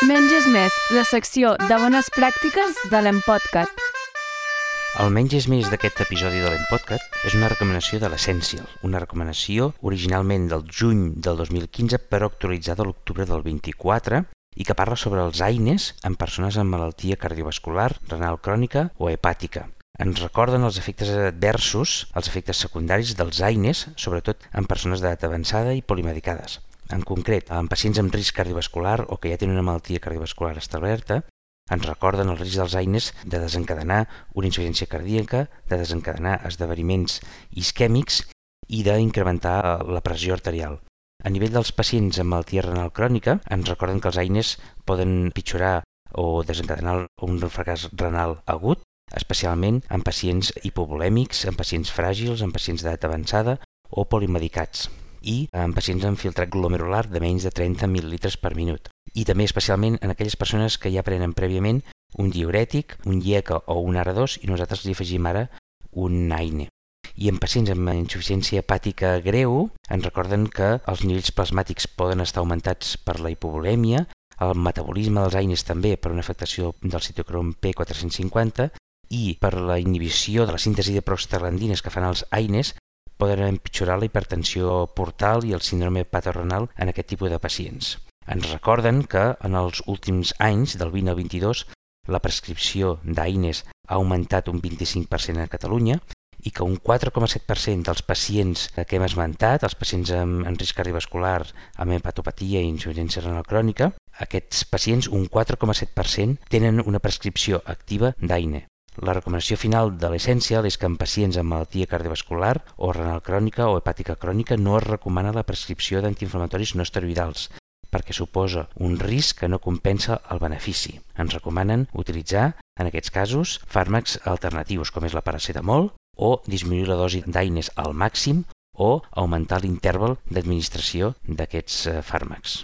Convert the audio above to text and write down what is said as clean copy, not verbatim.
Menys és més, la secció de bones pràctiques de l'Empodcat. El Menys és més d'aquest episodi de l'Empodcat és una recomanació de l'Essential, una recomanació originalment del juny del 2015 però actualitzada a l'octubre del 24 i que parla sobre els AINEs en persones amb malaltia cardiovascular, renal crònica o hepàtica. Ens recorden els efectes adversos, els efectes secundaris dels AINEs, sobretot en persones d'edat avançada i polimedicades. En concret, en pacients amb risc cardiovascular o que ja tenen una malaltia cardiovascular establerta, ens recorden el risc dels AINEs de desencadenar una insuficiència cardíaca, de desencadenar esdeveniments isquèmics i d'incrementar la pressió arterial. A nivell dels pacients amb malaltia renal crònica, ens recorden que els AINEs poden pitjorar o desencadenar un fracàs renal agut, especialment en pacients hipovolèmics, en pacients fràgils, en pacients d'edat avançada o polimedicats i en pacients amb filtrat glomerular de menys de 30 mil·lilitres per minut. I també especialment en aquelles persones que ja prenen prèviament un diürètic, un IECA o un ARA2 i nosaltres li afegim ara un AINE. I en pacients amb insuficiència hepàtica greu ens recorden que els nivells plasmàtics poden estar augmentats per la hipovolèmia, el metabolisme dels AINEs també per una afectació del citocrom P450 i per la inhibició de la síntesi de prostaglandines que fan els AINEs poden empitjorar la hipertensió portal i el síndrome hepatorenal en aquest tipus de pacients. Ens recorden que en els últims anys, del 20 al 22, la prescripció d'AINEs ha augmentat un 25% a Catalunya i que un 4,7% dels pacients que hem esmentat, els pacients amb risc cardiovascular, amb hepatopatia i insuficiència renal crònica, aquests pacients, un 4,7%, tenen una prescripció activa d'AINE. La recomanació final de l'Essential és que en pacients amb malaltia cardiovascular o renal crònica o hepàtica crònica no es recomana la prescripció d'antiinflamatoris no esteroidals perquè suposa un risc que no compensa el benefici. Ens recomanen utilitzar, en aquests casos, fàrmacs alternatius com és la paracetamol o disminuir la dosi d'AINEs al màxim o augmentar l'interval d'administració d'aquests fàrmacs.